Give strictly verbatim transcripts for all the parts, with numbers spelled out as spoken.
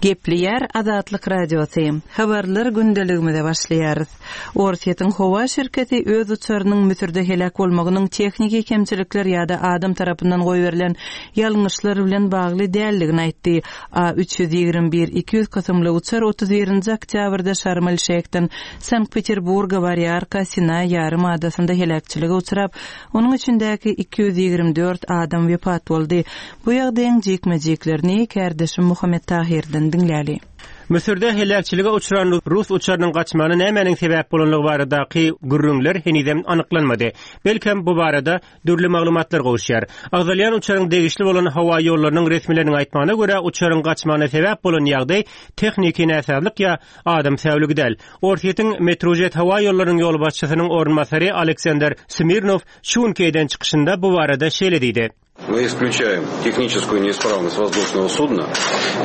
Gepleýär Azatlyk Radiosy. Habarlar gündeligimize başlaýarys. Orsýetiň howa şirketi öz uçarynyň Müsürde heläk bolmagynyň tehniki kemçilikler ýa-da adam tarapyndan goýberilen ýalňyşlar bilen bagly däldigini aýtdy. A üç ýüz ýigrimi bir iki ýüz kysymly uçar otuz birinji oktýabrda Şarm-el-Şeýhden Sankt-Peterburga barýarka Sinaý ýarym adasynda heläkçilige uçrap, onuň içindäki iki ýüz ýigrimi dört adam wepat boldy. Bu ýagdaýyň jikme-jiklerini kärdeşim Muhammet Tahirden diňläli. Müsürde heläkçilige uçran Rus uçarynyň gaçmagyna nämäniň sebäp bolanlygy baradaky gürrüňler henizem anyklanmady. Belkem bu barada dürli maglumatlar gowuşýar. Agzalýan uçaryň degişli bolan howa ýollarynyň resmileriniň aýtmagyna görä, uçaryň gaçmagyna sebäp bolan ýagdaý tehniki näsazlyk ýa adam säwligi däl. Orsýetiň Metrojet howa ýollarynyň ýolbaşçysynyň orunbasary Aleksandr Smirnov şu günki eden çykyşynda bu barada şeýle diýdi. Мы исключаем техническую неисправность воздушного судна,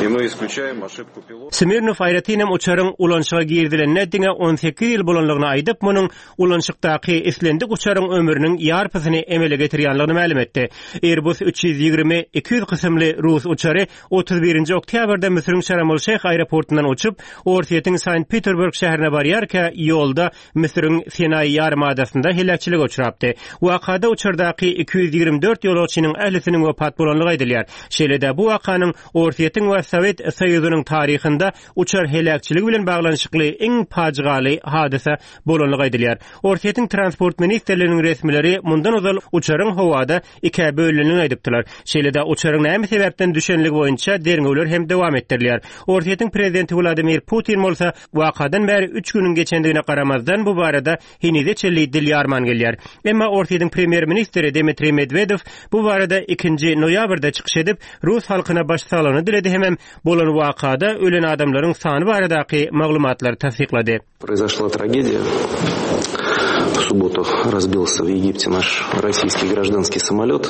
и мы исключаем ошибку пилота. Smirnov aýratynam uçaryň ulanşyga girdilenine diňe on sekiz ýyl bolanlygyny aýdyp, munuň ulanşykdaky islendik uçaryň ömrüniň ýarpysyny emele getirýänligini mälim etdi. Airbus üç ýüz ýigrimi iki ýüz kysymly Rus uçary otuz birinji oktýabrda Müsüriň Şarm-el-Şeýh aeroportundan uçup, Orsýetiň Sankt-Peterburg şäherine barýarka ýolda Müsüriň Sinaý ýarym adasynda heläkçilige uçrapdy. Wakada uçardaky iki ýüz ýigrimi dört ýolagçynyň ählisiniň wepat bolanlygy aýdylýar. Şeýle-de bu wakanyň Orsýetiň we Sowet Soýuzynyň taryhynda uçar heläkçiligi bilen baglanyşykly iň pajygaly hadysa bolanlygy aýdylýar. Orsýetiň Transport ministrliginiň resmileri mundan ozal uçaryň howada ikä bölünenini aýdypdylar. Şeýle-de uçaryň näme sebäpden düşenligi boýunça derňewler hem dowam etdirilýär. Orsýetiň prezidenti Wladimir Putin bolsa wakadan bäri üç günüň geçendigine garamazdan bu barada henize çenli dil ýarman gelýär. Emma Orsýetiň premýer-ministri Dmitriý Medvedev bu barada ikinji noýabrda çykyş edip, Rus halkyna başsaglygyny diledi hemem bolan wakada ölen adamlaryň sany baradaky maglumatlary tassyklady. Произошла трагедия. В субботу разбился в Египте наш российский гражданский самолет.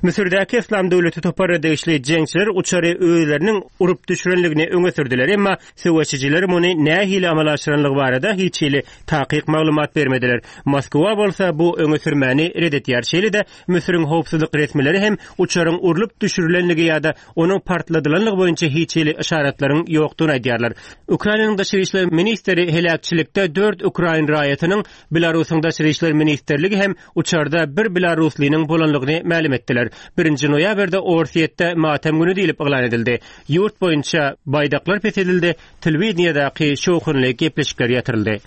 Müsürdäki Islam döwleti toparyna degişli jeňçiler uçary özleriniň urup düşürenligini öňe sürdüler. Emma söweşijiler muny nähili amala aşyranlygy barada hiç hili takyk maglumat bermediler. Moskwa bolsa bu öňe sürmäni red etýär. Şeýle-de Müsüriň howpsuzlyk resmileri hem uçaryň urlup düşürilenligi ýa-da onuň partladylanlygy boýunça hiç hili işaretlerin ýokdugyny aýdýarlar. Ukrainanyň daşary işler ministri heläkçilikde dört ukrain raýatynyň Belarusyň daşary işler ministrligi hem uçarda bir belaruslynyň bolanlygyny mälim etdiler. Birinji noýabrda Orsýetde matem günü diýlip yglan edildi. Ýurt boýunça baýdaklar pesedildi, telewideniýedäki şowhunly gepleşikler ýatyryldy.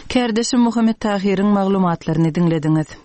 Kärdeşim Muhammet Tahiriň maglumatlaryny diňlediňiz.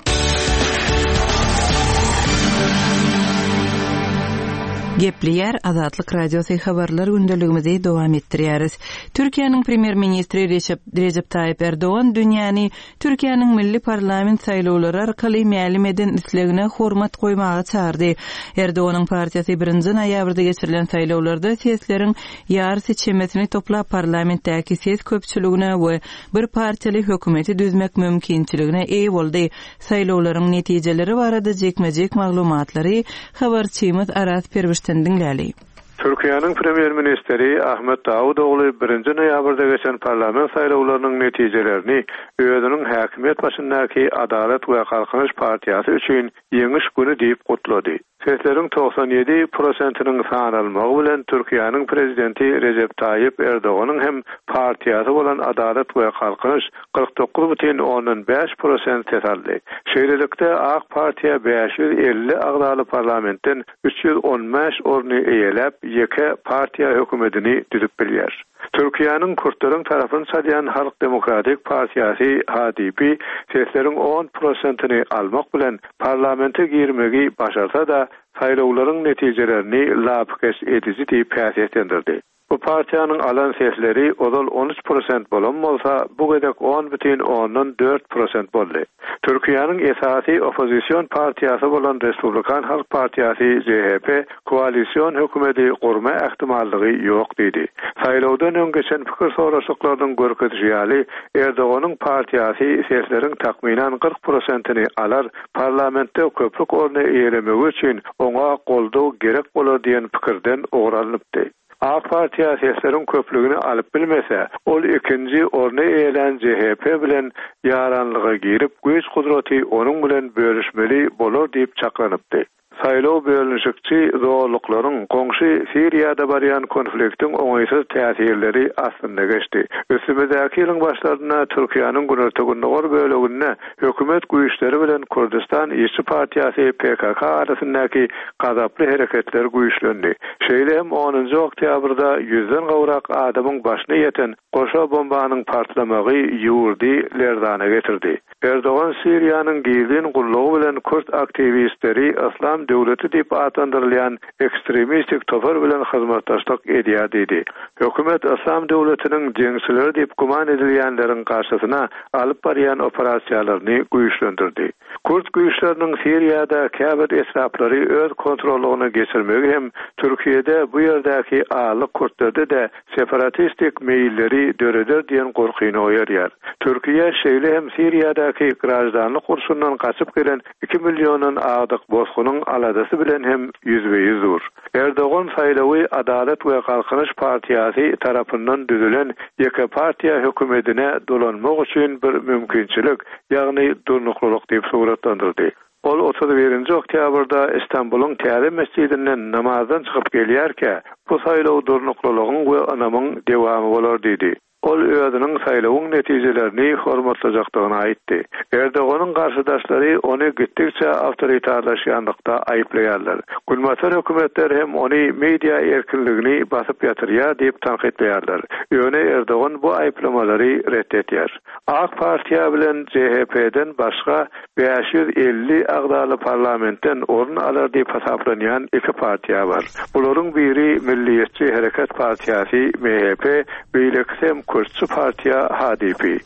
Gepleýär Azatlyk Radiosy habarlar gündeligimizi dowam etdirýäris. Türkiýäniň premýer-ministri Recep, Recep Tayyip Erdogan dünýäni Türkiýäniň milli parlament saýlawlary arkaly mälim eden islegine hormat goýmaga çağırdy. Erdoganyň partiýasy birinji noýabrda geçirilen saýlawlarda sesleriň ýarysy çemesini toplap parlamentdäki ses köpçüligine we bir partiýaly hökümeti düzmek mümkinçiligine eýe boldy. Saýlawlaryň netijeleri barada jikme-jik maglumatlary habarçymyz Aras Perwişden diňläli. Türkiýäniň premýer-ministri Ahmet Davutoğlu birinji noýabrda geçen parlament saýlawlarynyň netijelerini özüniň häkimiýet başyndaky Adalet we Galkynyş partiýasy üçin ýeňiş güni diýip gutlady. Sesleriň togsan ýedi prosentiniň sanalmagy bilen Türkiýäniň prezidenti Recep Tayyip Erdoganyň hem partiýasy bolan Adalet we Galkynyş kyrk dokuz bütin ondan bäş prosent ses aldy. Şeýlelikde AK Partiýa bäş ýüz elli agzaly parlamentden üç ýüz on bäş orny eýeläp, ýeke partiýa hökümetini düzüp bilýär. Türkiýäniň Kürtleriň tarapyny çalýan Halk Demokratik Partiýasy H D P sesleriň on prosentini almak bilen parlamente girmegi başarsa da saýlawlaryň netijelerini lapykeç ediji diýip häsiýetlendirdi. Bu partiýanyň alan sesleri ozal on üç prosent bolan bolsa, bu gezek on bütin ondan dört prosent boldy. Türkiýäniň esasy oppozision partiýasy bolan Respublikan Halk Partiýasy C H P koalisyon hökümeti gurma ähtimallygy ýok diýdi. Saýlawdan öň geçen pikir soraşyklarynyň görkezişi ýaly, Erdoganyň partiýasy sesleriň takmynan kyrk prosentini alar, parlamentde köplük orny eýelemegi üçin oňa goldaw gerek bolar diýen pikirden ugur alnypdy. AK Partiýa sesleriň köplügini alyp bilmese, ol ikinji orny eýelän C H P bilen ýaranlyga girip, güýç gudraty onuň bilen bölüşmeli bolar diýip çaklanypdy. Saýlaw bölünişikçi zorluklaryň goňşy Siriýada barýan konfliktiň oňaýsyz täsirleri astynda geçdi. Üstümizdäki ýylyň başlarynda Türkiýäniň günorta-gündogar böleginde hökümet güýçleri bilen Kürdistan Işçi Partiýasy P K K arasyndaky gazaply hereketler güýçlendi. Şeýle hem onunjy oktýabrda ýüzden gowrak adamyň başyna ýeten goşa bombanyň partlamagy ýurdy lerzana getirdi. Erdogan Siriýanyň gizlin gullugy bilen kürt aktiwistleri Yslam döwleti diýip atlandyrylýan ekstremistik topar bilen hyzmatdaşlyk edýär diýdi. Hökümet Yslam döwletiniň jeňçileri diýip güman edilýänleriň garşysyna alyp barýan operasiýalaryny güýçlendirdi. Kürt güýçleriniň Siriýada käbir etraplary öz kontrollugyna geçirmegi hem Türkiýede bu ýerdäki azlyk kürtlerde-de separatistik meýilleri döreder diýen gorkyny oýarýar. Türkiýe şeýle hem Siriýadaky graždanlyk urşundan gaçyp gelen iki milliondan agdyk bosgunyň aladasy bilen hem ýüzbe-ýüz dur. Erdogan saýlawy Adalet we Galkynyş Partiýasy tarapyndan düzülen ýeke partiýa hökümetine dolanmak üçin bir mümkinçilik, ýagny durnuklylyk diýip suratlandyrdy. Ol otuz birinji oktýabrda Istanbulyň täze mesjidinden namazdan çykyp gelýärkä, bu saýlaw durnuklylygyň we ynamyň dewamy bolar diýdi. Ol özüniň saýlawyň netijelerini hormatlajakdygyny aýtdy. Erdoganyň garşydaşlary ony gitdikçe awtoritarlaşýanlykda aýyplaýarlar. Günbatar hökümetleri hem ony media erkinligini basyp ýatyrýar diýip tankytlaýarlar. Ýöne Erdogan bu aýyplamalary ret edýär. AK Partiýa bilen C H P-den başga bäş ýüz elli agzaly parlamentden orun alar diýip hasaplanýan iki partiýa bar. Bularyň biri Milliýetçi Hereket Partiýasy M H P, beýlekisi hem Kürtçi Partiýa H D P.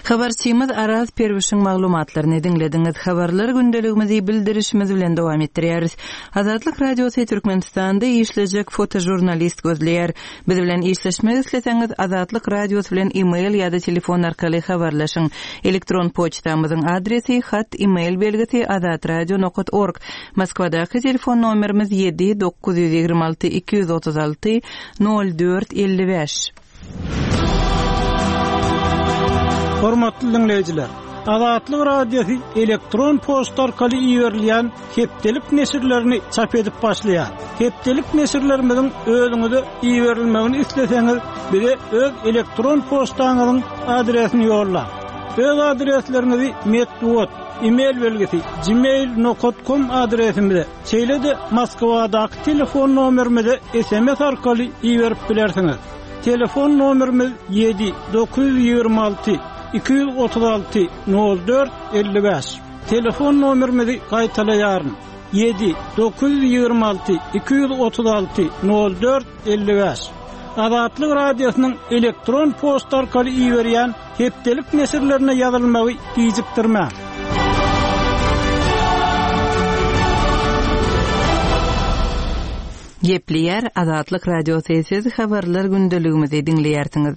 Habarçymyz Araz Perwişiň maglumatlaryny diňlediňiz. Habarlar gündeligimizi bildirişimiz bilen dowam etdirýäris. Azatlyk Radiosy Türkmenistanda işlejek fotožurnalist gözleýär. Biz bilen işleşmek isleseňiz Azatlyk Radiosy bilen e-mail ýa-da telefon arkaly habarlaşyň. Elektron poçtamyzyň adresi hat e-mail belgisi azatradio nokta org. Moskwadaky telefon nomerimiz ýedi dokuz ýüz ýigrimi alty iki ýüz otuz alty nol dört elli bäş. Hormatly dinleýjiler, Azatlyk Radiosy elektron poçta arkaly iberilýän hepdelik neşirlerini çap edip başlaýar. Hepdelik neşirlerimiziň özüňize iberilmegini isleseňiz, bize öz elektron poçtaňyzyň adresini ýollaň. Öz adresleriňizi metbugat, e-mail belgisi gmail nokta com adresimize, şeýle-de Moskwadaky telefon nomerimize S M S arkaly iberip bilersiňiz. Telefon nomerimiz ýedi dokuz ýüz ýigrimi alty iki ýüz otuz alty nol dört elli bäş. Telefon nomerimizi gaýtalaýaryn. Ýedi dokuz ýüz ýigrimi alty iki ýüz otuz alty nol dört elli bäş. Azatlyk Radiosynyň elektron poçta arkaly iberýän hepdelik neşirlerine ýazylmagy gijikdirmäň. Gepleýär Azatlyk Radiosy, siz habarlar gündeligimizi diňleýärsiňiz.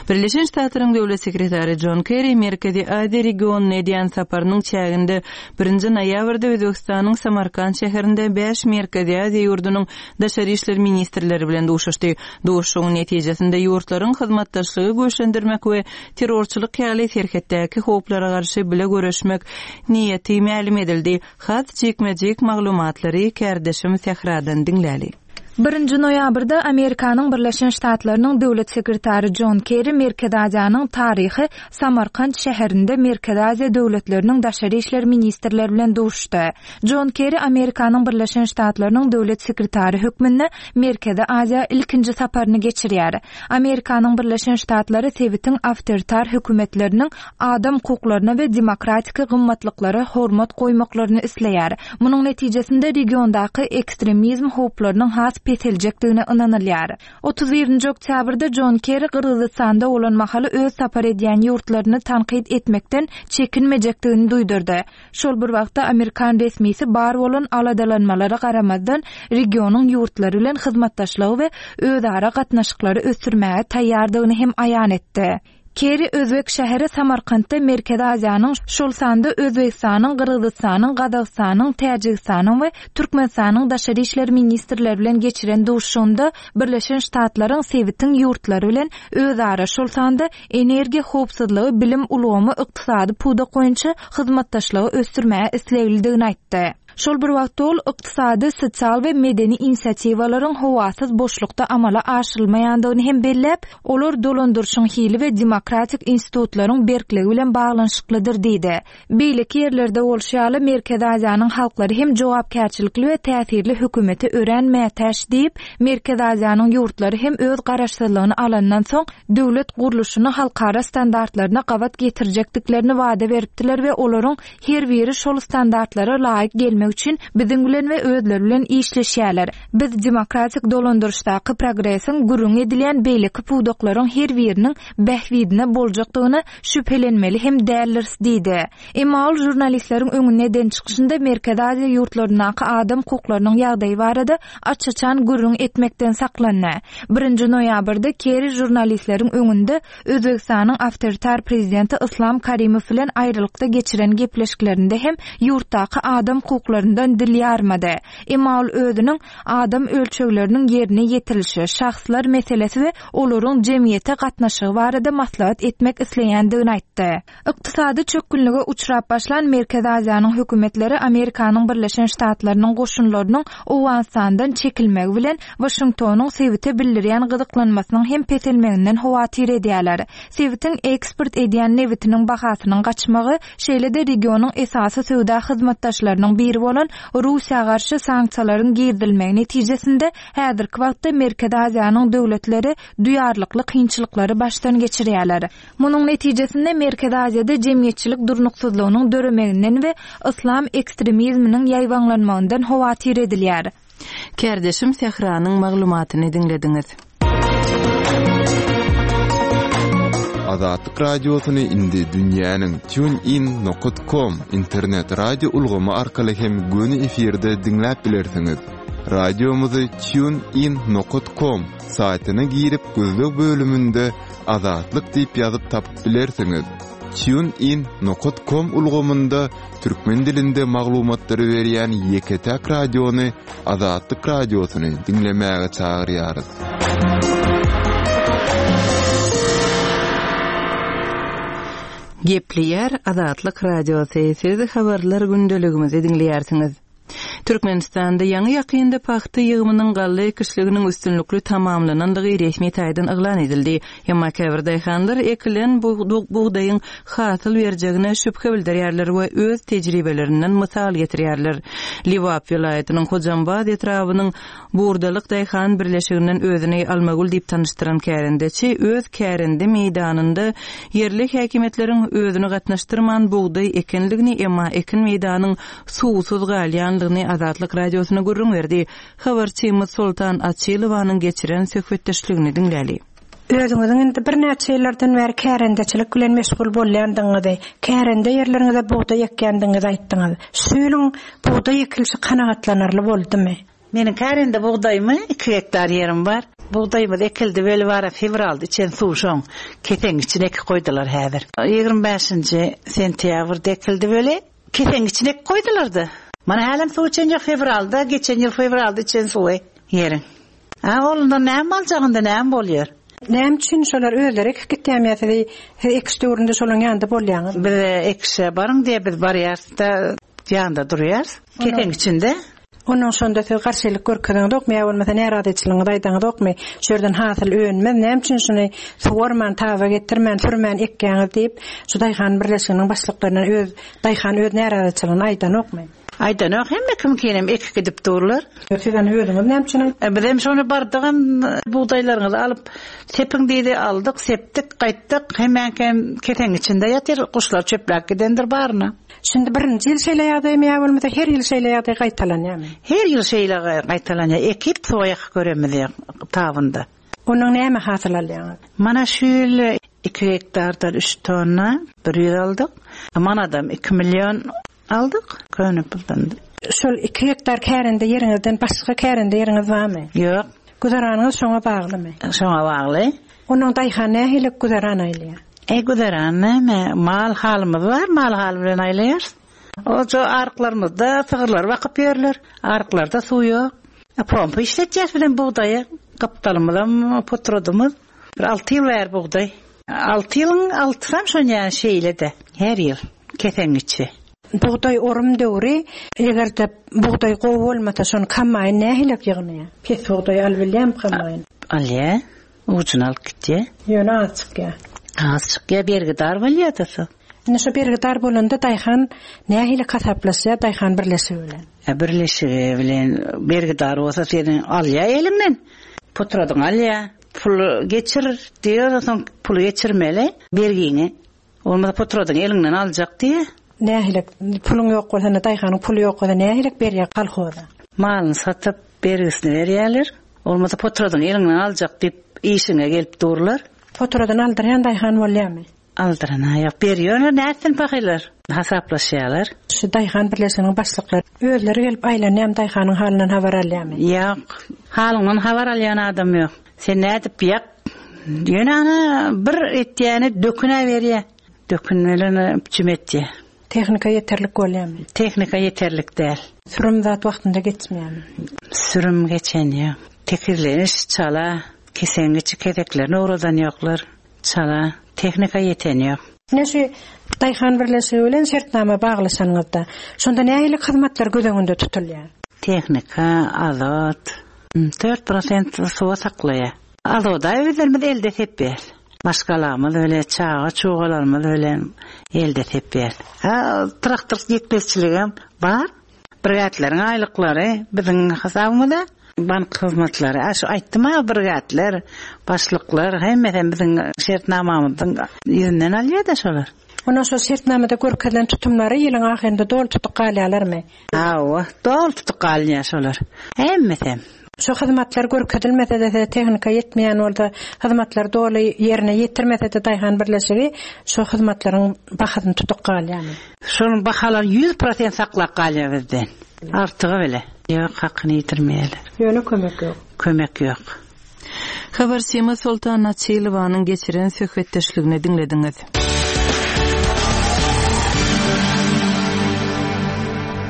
Birleşen Ştatlaryň Döwlet Sekretary John Kerry Merkezi Aziýa regionyna edýän saparynyň çäginde birinji noýabrda Özbegistanyň Samarkand şäherinde bäş Merkezi Aziýa ýurdunyň daşary işler ministrleri bilen duşuşdy. Duşuşygyň netijesinde ýurtlaryň hyzmatdaşlygy güýçlendirmek we terrorçylyk ýaly serhetdäki howplara garşy bile görüşmek niýeti mälim edildi. Has jikme-jik maglumatlary kärdeşim Sähradan diňläli. Birinji noýabrda Amerikanyň Birleşen Ştatlarynyň Döwlet Sekretary John Kerry Merkezi Aziýanyň taryhy Samarkand şäherinde Merkezi Aziýa döwletleriniň daşary işler ministrleri bilen duşuşdy. John Kerry Amerikanyň Birleşen Ştatlarynyň Döwlet Sekretary hökmünde Merkezi Aziýa ilkinji saparyny geçirýär. Amerikanyň Birleşen Ştatlary sebitiň awtoritar hökümetleriniň adam hukuklaryna we demokratik gymmatlyklara hormat goýmaklaryny isleýär. Munuň netijesinde regiondaky ekstremizm howplarynyň has peseljekdigine ynanylýar. Otuz birinji oktýabrda John Kerry Gyrgyzystanda bolan mahaly öz sapar edýän ýurtlaryny tankyt etmekden çekinmejekdigini duýdurdy. Şol bir wagtda Amerikan resmisi bar bolan aladalanmalara garamazdan regionyň ýurtlary bilen hyzmatdaşlygy we özara gatnaşyklary ösdürmäge taýýardygyny hem aýan etdi. Kerry Özbek şäheri Samarkandda Merkezi Aziýanyň, şol sanda Özbegistanyň, Gyrgyzystanyň, Gazagystanyň, Täjigistanyň we Türkmenistanyň daşary işler ministrleri bilen geçiren duşuşygynda Birleşen Ştatlaryň sebitiň ýurtlary bilen özara, şol sanda energiýa howpsuzlygy, bilim ulgamy, ykdysady pudak boýunça hyzmatdaşlygy ösdürmäge isleglidigini aýtdy. Şol bir wagtda ol ykdysady, sosial we medeni inisiatiwalaryň howasyz boşlukda amala aşyrylmaýandygyny hem belläp, olar dolandyryşyň hili we demokratik institutlaryň berkligi bilen baglanyşyklydyr diýdi. Beýleki ýerlerde bolşy ýaly Merkezi Aziýanyň halklary hem jogapkärçilikli we täsirli hökümete örän mätäç diýip, Merkezi Aziýanyň ýurtlary hem öz garaşsyzlygyny alandan soň döwlet gurluşyny halkara standartlaryna gabat getirjekdiklerini wada beripdiler we olaryň her biri şol standartlara laýyk gelmek üçin biziň bilen we özleri bilen işleşýärler. Biz demokratik dolandyryşdaky progresiň gürrüň edilýän beýleki pudaklaryň her biriniň bähbidine boljakdygyny şübhelenmeli hem däldiris diýdi. Emma ol žurnalistleriň öňünde eden çykyşynda Merkezi Aziýa ýurtlaryndaky adam hukuklarynyň ýagdaýy barada aç-açan gürrüň etmekden saklandy. Birinji noýabrda Kerry žurnalistleriň öňünde Özbegistanyň awtoritar prezidenti Islam Karimow bilen aýrylykda geçiren gepleşiklerinde hem ýurtdaky adam hukuklaryndan dil ýarmady. Emma ol özüniň adam ölçegleriniň ýerine ýetirilişi, şahslar meselesi we olaryň jemgyýete gatnaşygy barada maslahat etmek isleýändigini aýtdy. Ykdysady çökgünlige uçrap başlan Merkezi Aziýanyň hökümetleri Amerikanyň Birleşen Ştatlarynyň goşunlarynyň Owganystandan çekilmegi bilen Waşingtonyň sebite bildirýän gyzyklanmasynyň hem peselmeginden howatyr edýärler. Sebitiň eksport edýän nebitiniň bahasynyň gaçmagy, şeýle-de regionyň esasy söwda hyzmatdaşlarynyň biri bolan Russiýa garşy sanksiýalaryň girizilmegi netijesinde häzirki wagtda Merkezi Aziýanyň döwletleri duýarlykly kynçylyklary başdan geçirýärler. Munuň netijesinde Merkezi Aziýada jemgyýetçilik durnuksyzlygynyň döremeginden we yslam ekstremizminiň ýaýbaňlanmagyndan howatyr edilýär. Kärdeşim Sähranyň maglumatyny diňlediňiz. Azatlyk Radiosyny indi dünýäniň tunein nokat com internet radio ulgamy arkaly hem göni efirde diňläp bilersiňiz. Radiomyzy tunein nokat com saýtyna girip gözleg bölüminde Azatlyk diýip ýazyp tapyp bilersiňiz. Tunein nokat com ulgamynda türkmen dilinde maglumatlary berýän ýeke-täk radiony Azatlyk Radiosyny diňlemäge çagyrýarys. Gepleýär Azatlyk Radiosy, siz habarlar gündeligimizi diňleýärsiňiz. Türkmenistanda ýaňy ýakynda pagta ýygymynyň galla ekişliginiň üstünlikli tamamlanandygy resmi taýdan yglan edildi. Emma käbir daýhanlar ekilen bugdaýyň hasyl berjegine şübhe bildirýärler we öz tejribelerinden mysal getirýärler. Lebap welaýatynyň Hojambaz etrabynyň Burdalyk daýhan birleşiginden özüni Almagül diýip tanyşdyran kärendeçi öz kärende meýdanynda ýerli häkimiýetleriň özüni gatnaşdyrman bugdaý ekenligini, emma ekin meýdanyň suwsuz galýanlygyny Azatlyk Radiosyna gürrüň berdi. Habarçymyz Soltan Açylowanyň geçiren söhbetdeşligini diňläli. Özüňiziň indi birnäçe ýyllardan bäri kärendeçilik bilen meşgul bolýandygyňyzy, kärende ýerleriňize bugdaý ekýändigiňizi aýtdyňyz. Şu ýylyň bugdaý ekilişi kanagatlanarly boldumy? Meniň kärende bugdaýymy iki gektar ýerim bar. Bugdaýymyz ekildi weli bara fewralda içen suw şoň keseň içine ekip goýdular häzir. Ýigrimi bäşinji sentýabrda ekildi weli keseň içine ekip goýdular-da. Mana hälem suw içen ýok fewralda, geçen ýyl fewralda içen suwy ýeriň. A oglundan näme aljagynda näme bolýar? Näme üçin şolar özleri ekip gitýärmi ýa sizi siz ekiş döwründe şolaryň ýanynda bolýaňyz? Biz ekişe baryň diýe biz barýarys-da, ýanynda durýarys. Keseň içinde. Ondan şonda siz garşylyk görkezeňizokmy ýa bolmasa närazyçylygyňyzy aýdaňyzokmy? Şu ýerden hasyl önmez, näme üçin şuny suwarman, taba getirmän, sürmän ekýäňiz diýip, şu daýhan birleşiginiň başlyklaryna öz daýhan öz närazyçylygyny aýdanokmy? Aýdanok, hemme kimkinem ekip gidip durlar. Siz ony özüňiz näme üçin aýt- E, biz hem şony bardygam bugdaýlaryňyzy alyp sepiň diýdi, aldyk, sepdik, gaýtdyk. Hemmäňkem keseň içinde ýatyr, guşlar çöpläp gidendir baryna. Şimdi birinji ýyl şeýle ýagdaýmy ýa bolmasa her ýyl şeýle ýagdaý gaýtalanýarmy? Her ýyl şeýle gaýtalanýar. Ekip soýak göremiz ýa tabynda. Onuň näme hasyl alýaňyz? Mana şu ýyl iki gektardan üç tonna bir ýüz aldyk. Manadam iki million aldyk. Köne puldan. Şol iki gektar kärende ýeriňizden başga kärende ýeriňiz barmy? Ýok. Güzeranyňyz şoňa baglymy? Şoňa bagly. Onuň daýhan nähili güzeran aýlaýar? E, güzeran näme? Mal halymyz bar, mal haly bilen aýlaýarys. Oca arklarymyzda sygyrlar bakyp ýerler. Arklarda suw ýok. E, pompa işletýäs bilen bugdaýy. Gapdalymyzam potradymyz. Bir alty ýyl bäri bugdaý. Alty ýylyň altysam şon ýaly şeýle-de. Her ýyl keseň içi. Bugdaý orum döwri, eger-de bugdaý gowy bolmasa, şony kombaýn nähili ýygnaýar? Pes bugdaý alyp bilýärmi kombaýn? Alýar, ujuny alyp gitýär. Ýöne az çykýar. Az çykýar, bergidar bolýar-da soň. Indi şo bergidar bolanda daýhan nähili hasaplaşýar daýhan birleşigi bilen? E, birleşigi bilen bergidar bolsa seni alýar eliňden. Potradyňy alýar. Pul geçir diýer, soň puly geçirmeli bergiňi. Bolmasa potradyňy eliňden aljak diýer. Nähili puluň ýok bolsa, daýhanyň puly ýok bolsa nähili berýär kolhoza? Malyny satyp bergisini berýärler. Bolmasa potradyňy eliňden aljak diýip işiňe gelip durlar. Potradyny aldyrýan daýhan bolýarmy? Aldyran ýok, berýärler, nätsin pahylar? Hasaplaşýarlar. Şu daýhan birleşiginiň başlyklary özleri gelip aýlanýar, daýhanyň halyndan habar alýarmy? Ýok, halyňdan habar alýan adam ýok. Sen nädip ýak? Ýöne ana bir etýäni döküne berýär. Dökün bilen biçim etýär. Tehnika ýeterlik bolýarmy? Tehnika ýeterlik däl. Sürüm zat wagtynda geçmeýärmi? Sürüm geçen ýok. Tekizleniş çala, kesengiçi keseklerini ugradan ýoklar. Çala, tehnika ýeten ýok. Ine şu daýhan birleşigi bilen şertnama baglaşanyňyzda, şonda nähili hyzmatlar göz öňünde tutulýar? Tehnika, azot, dört prosent suwa saklaýar. Azoda özlerimiz elde sepýär. Maşgalamyz bilen, çaga çugalarymyz bilen elde sepýär. Ha, traktor ýetmezçiligem bar. Brigadlaryň aýlyklary biziň hasabymyzda. Bank hyzmatlary, a şu aýtdym-a, brigadlar, başlyklar hemmesi biziň şertnamamyzyň ýüzünden alýar-da şolar. Ondan şol şertnamada görkezilen tutumlary ýylyň ahyrynda doly tutup galýarlarmy? Hawa, doly tutup galýar şolar. Hemmesi. Şu hyzmatlar görkezilmese de tehnika ýetmeýän bolsa, hyzmatlar doly ýerine ýetirmese de daýhan birleşigi şu hyzmatlaryň bahasyny tutup galýarmy? Şonuň bahalary ýüz prosent saklap galýar bizden. Artygy bile. Ýok, hakyny ýitirmeýärler. Ýöne kömek ýok. Kömek ýok. Habarçymyz Soltan Açylowanyň geçiren söhbetdeşligini diňlediňiz.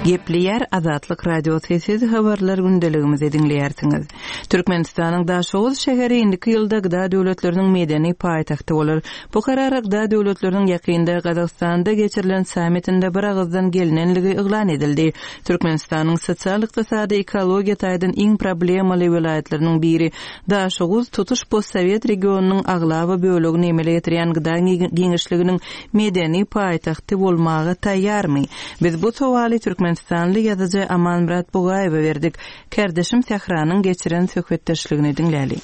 Gepleýär Azatlyk Radiosy, siz habarlar gündeligimizi diňleýärsiňiz. Türkmenistanyň Daşoguz şäheri indiki ýylda G D A döwletleriniň medeni paýtagty bolar. Bu karar G D A döwletleriniň ýakynda Gazagystanda geçirilen sammitinde bir agyzdan gelinenligi yglan edildi. Türkmenistanyň sosial-ykdysady ekologiýa taýdan iň problemaly welaýatlarynyň biri Daşoguz tutuş postsowet regionynyň aglaba bölegini emele getirýän G D A giňişliginiň medeni paýtagty bolmaga taýýarmy? Biz bu sowaly Türkmenistanly ýazyjy Amanmyrat Bugaýewe berdik. Kardeşim Sähranyň geçiren söhbetdeşligini diňläli.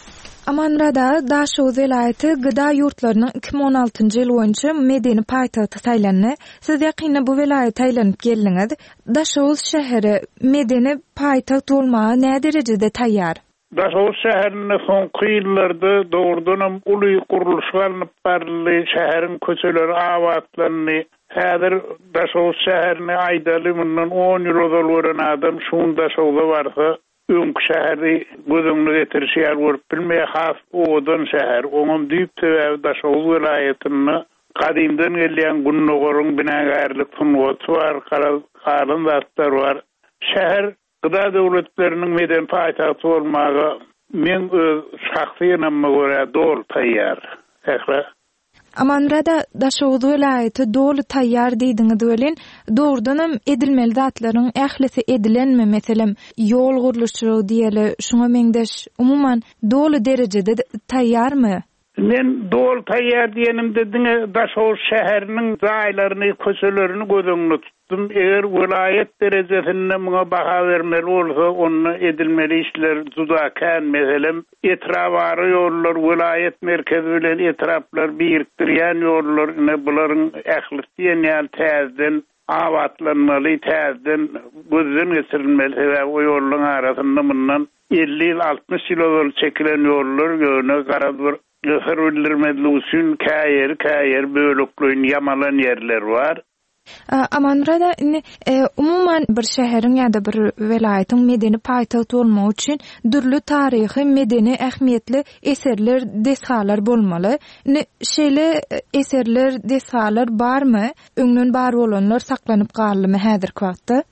Amanmyrat aga, Daşoguz welaýaty G D A ýurtlarynyň iki müň on altynjy ýyl boýunça medeni paýtagty saýlandy. Siz ýakynda bu welaýata aýlanyp geldiňiz. Daşoguz şäheri medeni paýtagt bolmaga nä derejede taýýar? Daşoguz şäherinde soňky ýyllarda dogrudanam uly gurluş alnyp baryldy, şäheriň köçeleri abatlandy. Häzir Daşoguz şäherine aýdaly mundan on ýyl ozal gören adam şuň Daşoguza barsa, öňki şäheri göz öňüne getirişi ýaly görüp bilmeýär, has owadan şäher. Oňam düýp sebäbi Daşoguz welaýatynda gadymdan gelýän Gündogaryň binagärlik sungaty bar, galan zatlar bar. Şäher G D A döwletleriniň medeni paýtagty bolmaga men öz şahsy ynamyma görä doly taýýar. Sähra. Amanmyrat aga, Daşoguz welaýaty doly taýýar diýdiňiz welin, dogrudanam edilmeli zatlaryň ählisi edilenmi? Meselem, ýol gurluşygy diýeli, şuňa meňzeş umuman doly derejede taýýarmy? Men doly taýýar diýenimde diňe Daşoguz şäheriniň jaýlaryny, köçelerini göz öňünde tutdum. Eger welaýat derejesinde muňa baha bermeli bolsa, onda edilmeli işler juda kän. Meselem, etrabara ýollar, welaýat merkezi bilen etraplar birikdirýän ýollar, ine bularyň ählisi diýen ýaly täzeden abatlanmaly, täzeden gözden geçirilmeli. Sebäbi o ýollaryň arasynda mundan elli ýyl, altmyş ýyl ozal çekilen ýollar ýöne garaz bir syr bildirmezlik üçin käýeri, käýeri bölekleýin ýamalan ýerler bar. A, Amanmyrat aga, indi, e, umuman bir şäheriň ýa-da bir welaýatyň medeni paýtagt bolmagy üçin dürli taryhy, medeni ähmiýetli eserler, desgalar bolmaly. Indi şeýle eserler, desgalar barmy? Öňden bar bolanlar saklanyp galdymy häzirki wagtda?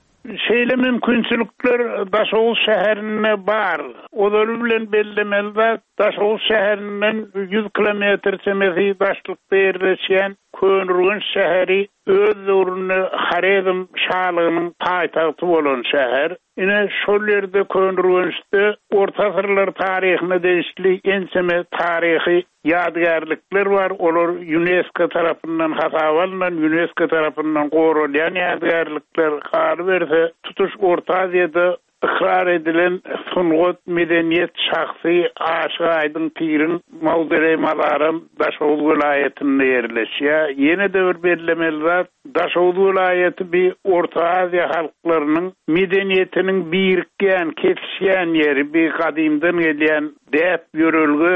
Şeýle mümkinçilikler Daşoguz şäherinde bar. Ozaly bilen bellemeli zat, Daşoguz şäherinden ýüz kilometr çemesi daşlykda ýerleşýän Köneürgenç şäheri öz döwründe Horezm şalygynyň paýtagty bolan şäher. Ine şol ýerde Köneürgençde Orta asyrlar taryhyna degişli ençeme taryhy ýadygärlikler bar. Olar UNESCO tarapyndan hasaba alynan, UNESCO tarapyndan goralýan ýadygärlikler. Galyberse, tutuş Orta Aziýada ykrar edilen sungat, medeniýet şahsy Aşyk Aýdyň Piriň mawzoleý mazaram Daşoguz welaýatynda ýerleşýär. Ýene-de bir bellemeli zat, Daşoguz welaýaty bir Orta Aziýa halklarynyň medeniýetiniň birikýän, kesişýän ýeri, bir gadymdan gelýän däp ýörelge,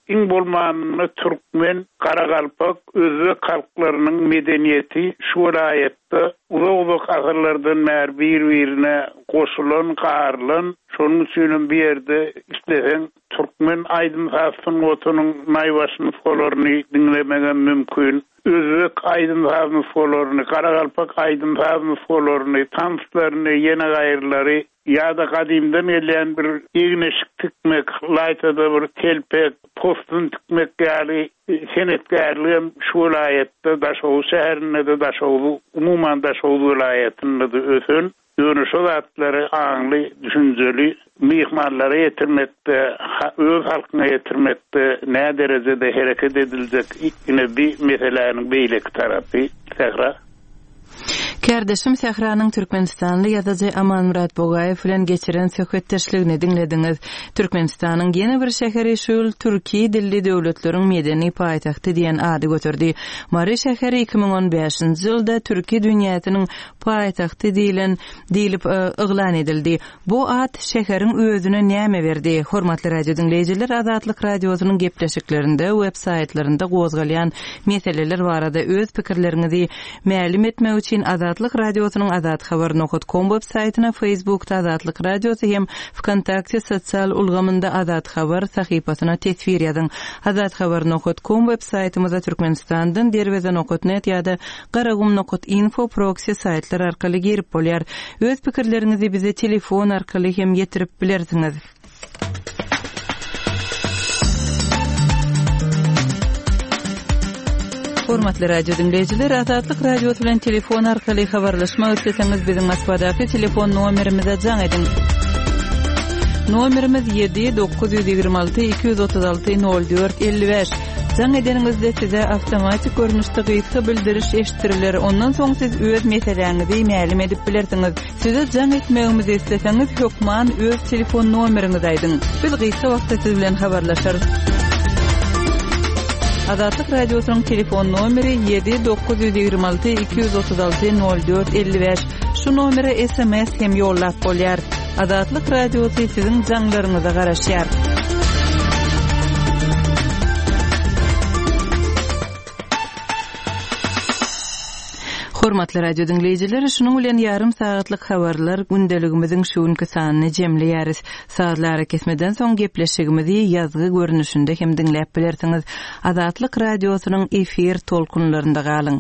iň bolmanynda türkmen, garagalpak, özbek halklarynyň medeniýeti şu welaýatda uzak-uzak asyrlardan bäri bir-birine goşulan, garylan. Şonuň üçin bir ýerde isleseň türkmen aýdym-saz sungatynyň naýbaşy nusgalaryny diňlemegem mümkin. Özbek aýdym-saz nusgalaryny, garagalpak aýdym-saz nusgalaryny, tanslaryny, ýene gaýrylary ýa-da gadymdan gelýän bir egin-eşik tikmek, laýtada bir telpek, postun tikmek ýaly senetkärligem şu welaýatda, Daşoguz şäherinde-de, Daşoguz, umuman Daşoguz welaýatynda-da ösen. Ýöne şo zatlary aňly, düşünjeli myhmanlara ýetirmekde, öz halkyna ýetirmekde nä derejede hereket ediljek ine bir meseläniň beýleki tarapy Sähra. Kärdeşim Sähranyň Türkmenistanly ýazyjy Amanmyrat Bogaýew bilen geçiren söhbetdeşligini diňlediňiz. Türkmenistanyň ýene bir şäheri şu ýyl Türkiýe dilli döwletleriň medeni paýtagty diýen ady göterdi. Mary şäheri iki müň on bäşinji ýylda Türkiýe dünýäsiniň paýtagty diýilen diýilip, e, yglan edildi. Bu at şäheriň özüne näme berdi? Hormatly radio diňleýjiler, Azatlyk radiosynyň gepleşiklerinde, web saýtlarynda gozgalýan meseleler barada öz pikirleriňizi mälim etmek üçin Azatlyk radiosynyň azathabar nokta com web saýtyna, Facebookda Azatlyk radiosy hem Vkontakte sosial ulgamynda Azat Habar sahypasyna teswir ýazyň. Azathabar nokta com web saýtymyza Türkmenistandan derweze nokta net ýa-da garagum nokta info proxy saýtlar arkaly girip bolýar. Öz pikirleriňizi bize telefon arkaly hem ýetirip bilersiňiz. Hormatly radio diňleýjiler, Azatlyk radiosy bilen telefon arkaly habarlaşmak isleseňiz biziň Moskwadaky telefon nomerimize jaň ediň. Nomerimiz ýedi dokuz ýüz ýigrimi alty iki ýüz otuz alty nol dört elli bäş. Jaň edeniňizde size awtomatik görnüşde gysga bildiriş eşitdiriler. Ondan soň siz öz meseläňizi mälim edip bilersiňiz. Size jaň etmegimizi isleseňiz hökman öz telefon nomeriňizi aýdyň. Biz gysga wagtda siz bilen habarlaşarys. Azatlyk radiosynyň telefon nomeri ýedi dokuz ýüz ýigrimi alty iki ýüz otuz alty nol dört elli bäş. Şu nomere S M S hem ýollap bolýar. Azatlyk radiosy siziň jaňlaryňyza garaşýar. Hormatly radio diňleýjiler, şunuň bilen ýarym sagatlyk habarlar gündeligimiziň şu günki sanyny jemleýäris. Sazly arakesmeden soň gepleşigimizi ýazgy görnüşinde hem diňläp bilersiňiz. Azatlyk radiosynyň efir tolkunlarynda galyň.